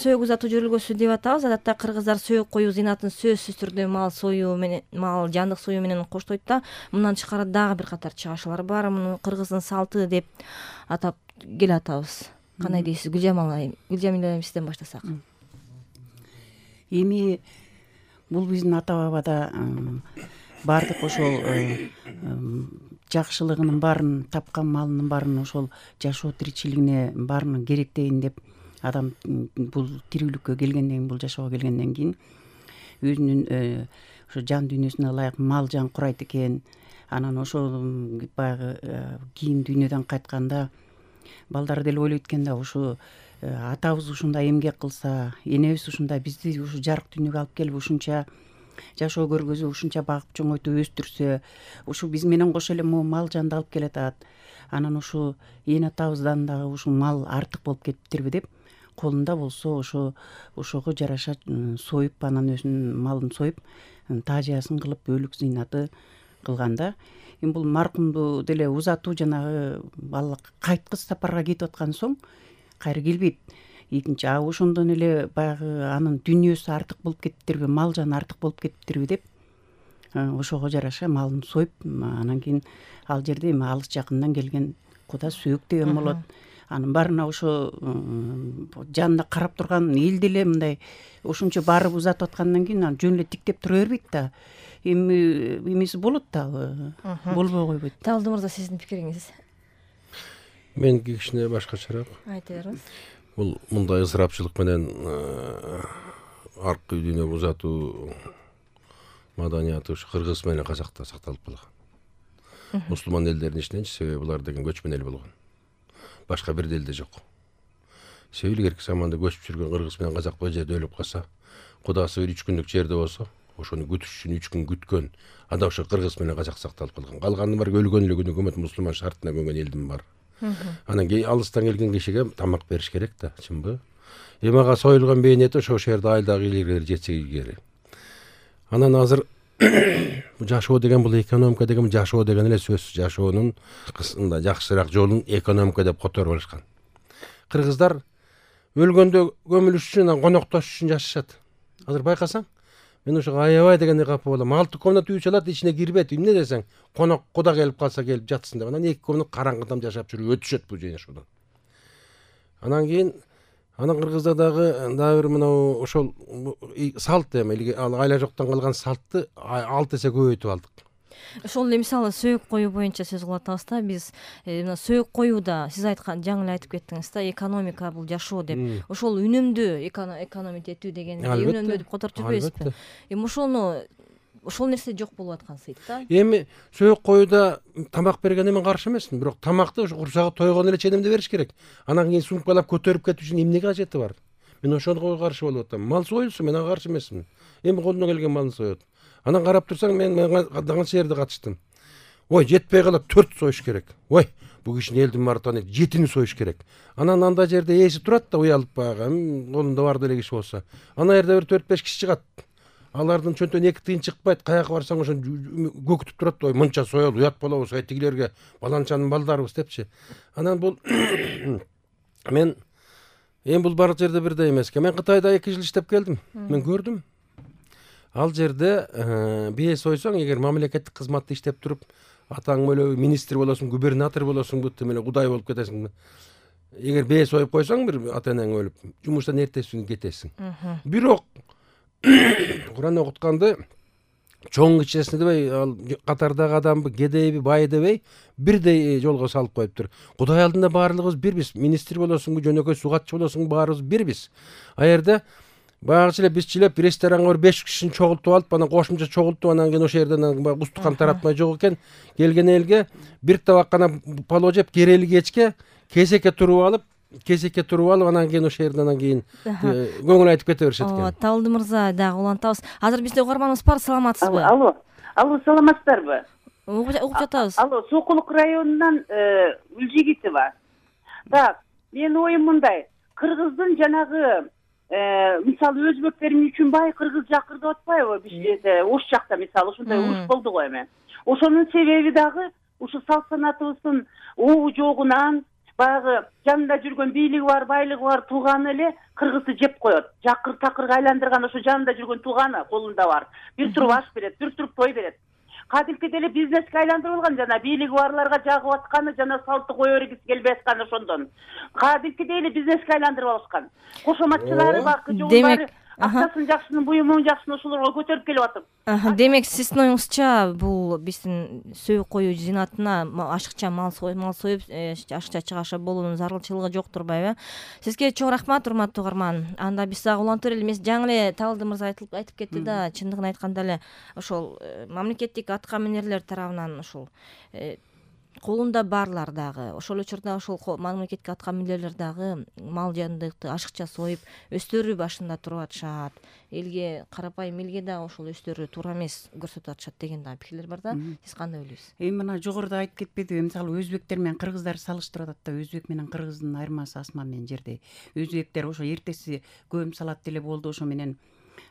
сөөк узатуу жүргүзүүсү деп атабыз. Адатта кыргыздар сөөк коюу зыйнатын сөзсүз түрдө мал союу менен, мал жандык союу менен коштойт да. Мындан тышкары дагы бир катар чыгашуулар бар. Муну кыргыздын салты деп атап келатабыз. Кандай дейсиз Гүлжамил айым, сизден баштасак? Эми бул биздин ата бабада баардык ошол жакшылыгынын баарын, тапкан малынын баарын ошол жашоо тиричилигине баарын керектейин деп адам бул тирүүлүккө келгенден кийин, бул жашоого келгенден кийин өзүнүн ошо жан дүйнөсүнө ылайык мал жан курайт экен. Анан ошол баягы кийин дүйнөдөн кайтканда балдары деле ойлойт экен да, ушу атабыз ушундай эмгек кылса, энебиз ушундай бизди ушу жарык дүйнөгө алып келип ушунча жашоо көргөзүп, ушунча багып чоңойтуп өстүрсө, ушу биз менен кошо эле могу мал жанды алып келатат. Анан ушу эне атабыздан дагы ушул мал артык болуп кетиптирби деп, колунда болсо ошого жараша союп, анан өзүнүн малын союп, таажиясын кылып, өлүк зыйнаты кылган да. Эми бул маркумду деле узатуу, жанагы ал кайткыс сапарга кетип аткан соң кайра келбейт. Экинчи, ошондон эле баягы анын дүйнөсү артык болуп кетиптирби, мал жаны артык болуп кетиптирби деп, ошого жараша малын союп, анан кийин ал жерде эми алыс жакындан келген куда сөөк деген болот. Анын баарына ошо жанына карап турган эл деле мындай ошончо барып узатып аткандан кийин жөн эле тиктеп тура бербейт да. Эми эмеси болот дагы, болбой койбойт. Табылды мырза, сиздин пикириңиз? Меники кичине башкачараак. Айта бериңиз. Бул мындай ысырапчылык менен аркы дүйнөгө узатуу маданияты ушу кыргыз менен казакта сакталып калган. Мусулман элдердин ичиненчи, себеби булар деген көчмөн эл болгон. Башка бир элде жок. Себеби илгерки заманда көчүп жүргөн кыргыз менен казак бул жерде өлүп калса, кудасы бир 3 күндүк жерде болсо, ошону күтүш үчүн 3 күн күткөн. Анда ошо кыргыз менен казак сакталып калган. Калганы бар өлгөн эле күнү өкмөт мусулман шартына көнгөн элдин бар. Анан алыстан келген кишиге тамак бериш керек да, чынбы? Эми ага союлган бейин эти ошол жерде айылдагы илгери жетсе илгери. Анан азыр жашоо деген бул экономика деген жашоо деген эле сөз. Жашоонун кысында жакшыраак жолун экономика деп которуп алышкан. Кыргыздар өлгөндө көмүлүш үчүн, коноктош үчүн жашашат. Азыр байкасаң, мен ошо аябай дегенде капа болом. 6 комната үй чалат, ичине кирбейт. Эмне десең, конок куда келип калса келип жатсын деп. Анан 2 комната караңгыдан жашап жүрүп өтүшөт бул жашоодон. Анан кийин кыргызда дагы бир мынау ошол салт эми айла жоктон калган салтты 6 эсе көбөйтүп алдык. Ошол эле мисалы сөөк коюу боюнча сөз кылып атабыз да, биз мына сөөк коюуда сиз айткан, жаңы эле айтып кеттиңиз да, экономика бул жашоо деп. Ошол үнөмдүү экономить этүү деген үнөмдүү деп которуп жүрбөйсүзбү? Эми ошол нерсе жок болуп аткансыйт да. Эми сөөк коюуда тамак бергенде мен каршы эмесмин, бирок тамакты ошо курсагы тойгон эле ченемде бериш керек. Анан кийин сумкалап көтөрүп кетүү үчүн эмнеге кажети бар? Мен ошого каршы болуп атам. Мал союлсун, мен ага каршы эмесмин. Эми колунан келген малын соет. Анан карап турсаң, мен канча жерде катыштым. Ой, жетпей калат, 4 союш керек. Ой, бул кишини элдин баары тааныйт, 7-ни союш керек. Анан анда жерде ээси турат да, уялып баягы, колунда бар деле киши болсо. Ана жерде бир 4-5 киши чыгат. Алардын чөнтөн 2 тыйын чыкпайт, каяка барсаң ошо көкүтүп турат. Ой, мынча соёл, уят болобуз, тигилерге баланчанын балдарыбыз депчи. Анан бул мен бул бар жерде бирдей эмес экен. Мен Кытайда 2 жыл иштеп келдим. Мен көрдүм. Ал жерде бие сойсоң, эгер мамлекеттик кызматта иштеп туруп, атаң эле министр болосуң, губернатор болосуң, бүттү эле кудай болуп кетесиң. Эгер бие союп койсоң, бир ата-энең өлүп, жумуштан эртеси күнү кетесиң. Бирок Куран окутканды чоң кичесине дебей, ал катардагы адамбы, кедейби, бай дебей, бирдей жолго салып коюптур. Кудай алдында баардыгыбыз бирбиз. Министр болосуңбу, жөнөкөй сугатчы болосуңбу, баарыбыз бирбиз. А жерде багычы эле биз чилеп ресторанга 5 кишини чогултуп алып, анан кошумча чогултуп, анан кийин ошол жерден устукан таратмай жок экен. Келген элге бир табак гана палоо жеп, керели кечке кезекке туруп алып, анан кийин ошол жерден анан кийин көңүл айтып кете беришет экен. Табылды мырза, дагы улантабыз. Азыр бизде угарманыбыз бар, саламатсызбы? Алло, саламатсыздарбы? Угуп жатабыз. Алло, Сокулук районунан Үлжигитова. Так, менин оюм мындай. Кыргыздын жанагы мисалы өзбектер үчүн бай кыргыз жакыр деп атпайбы? Биз Ош жакта мисалы ушундай уруш болду го эми. Ошонун себеби дагы ушу салт санатыбыздын уу жогунан, баягы жанында жүргөн бийлиги бар, байлыгы бар тууганы эле кыргызды жеп коет. Жакыр такырга айландырган ошо жанында жүргөн тууганы колунда бар. Бир туруп аш берет, бир туруп той берет. Кадимки эле бизнеске айландырып алган, жана бийлиги барларга жагып атканы, жана салтты кое бергиси келбей аткан ошондон. Кадимки эле бизнеске айландырып алышкан. Кошоматчылары бакы жолу баары акчасын жакшынын, буюмун жакшыны ошолорго көтөрүп келип атып. Демек сиздин оюңузча бул биздин сөөк коюу зинатына ашыкча мал союп ашыкча чыгаша болуунун зарылчылыгы жок турбайбы? Сизге чоң рахмат, урматтуу угарман. Анда биз дагы улантып берели. Эмес, жаңы эле Табылды мырза айтып кетти да, чындыгын айтканда эле ошол мамлекеттик атка минерлер тарабынан ошол колунда барлар дагы ошол учурда ошол мамлекеттик атка минерлер дагы мал жандыкты ашыкча союп өздөрү башында туруп атышат, элге карапайым элге дагы ошол өздөрү туура эмес көрсөтүп атышат деген дагы пикирлер бар да. Сиз кандай ойлойсуз? Эми мына жогоруда айтып кетпедиби, мисалы өзбектер менен кыргыздар салыштырып атат да, өзбек менен кыргыздын айырмасы асман менен жердей. Өзбектер ошо эртеси көм салат деле болду, ошо менен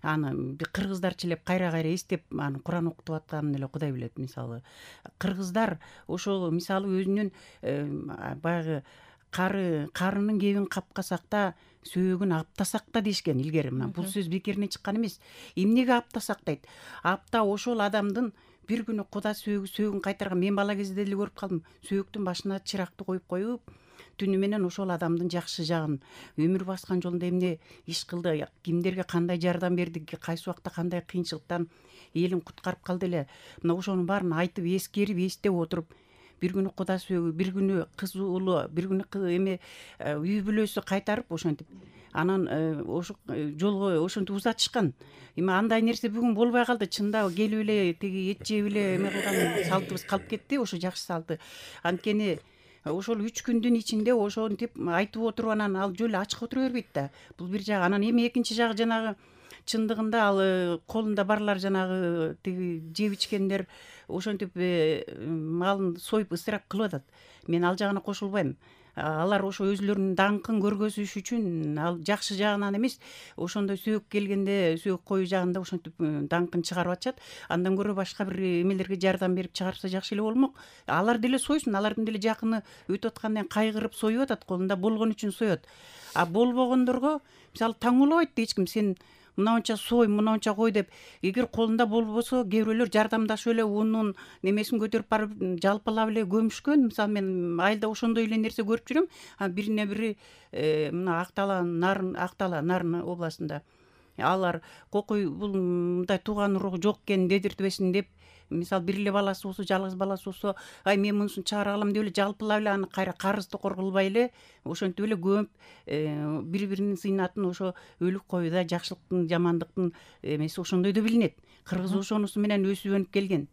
аны кыргыздарча эле кайра эстеп аны Куран окутуп атканын эле Кудай билет. Мисалы кыргыздар ошол мисалы өзүнүн баягы карынын кебин капкасак да, сөөгүн аптасак да дешкен илгери. Мына бул сөз бекерине чыккан эмес. Эмнеге аптасак дейт? Апта ошол адамдын бир күнү Куда сөөгүн кайтарган. Мен бала кезде деле көрүп калдым. Сөөктүн башына чыракты коюп түнү менен ошол адамдын жакшы жагын, өмүр баскан жолунда эмне иш кылды, кимдерге кандай жардам берди, кайсы убакта кандай кыйынчылыктан элин куткарып калды эле. Мына ошонун баарын айтып, эскерип, эстеп отуруп, бир күнү Куда сөөгү, бир күнү кыз уулу, бир күнү эме үй бүлөсү кайтарып ошентип анан ошо жолго ошентип узатышкан. Эми андай нерсе бүгүн болбой калды. Чында келип эле тиги эт жеп эле эме кылган салтыбыз калып кетти, ошо жакшы салты. Анткени ошол 3 күндүн ичинде ошентип айтып отуруп анан ал жөн эле ачык отура бербейт да. Бул бир жагы. Анан эми экинчи жагы жанагы чындыгында ал колунда барлар жанагы тиги жеп ичкендер ошентип малын союп ысырап кылып атат. Мен ал жагына кошулбайм. Алар ошо өзүлөрүнүн даңкын көргөзүш үчүн ал жакшы жагынан эмес, ошондой сөөк келгенде сөөк коюу жагында ошентип даңкын чыгарып атышат. Андан көрө башка бир эмелерге жардам берип чыгарса жакшы эле болмок. Алар деле сойсун, алардын деле жакыны өтүп аткандан кайгырып союп атат, колунда болгон үчүн соет. А болбогондорго мисалы таңуулабайт да эч ким, сен мынанча сой, мынанча кой деп. Эгер колунда болбосо, кээ бирөөлөр жардамдашып эле унун немесин көтөрүп барып жалпылап эле көмүшкөн. Мисалы мен айылда ошондой эле нерсе көрүп жүрөм. Бирине бири мына Актала Нарын областында алар кокуй бул мындай тууган уруу жок экен дедиртпесин деп, мисалы бир эле баласы болсо, жалгыз баласы болсо, мен мунусун чыгара алам деп эле жалпылап эле аны кайра карыз токор кылбай эле ошентип эле көмүп бири-биринин зыйнатын ошо өлүк коюуда жакшылыктын, жамандыктын эмеси ошондой да билинет. Кыргыз ошонусу менен өсүп өнүп келген.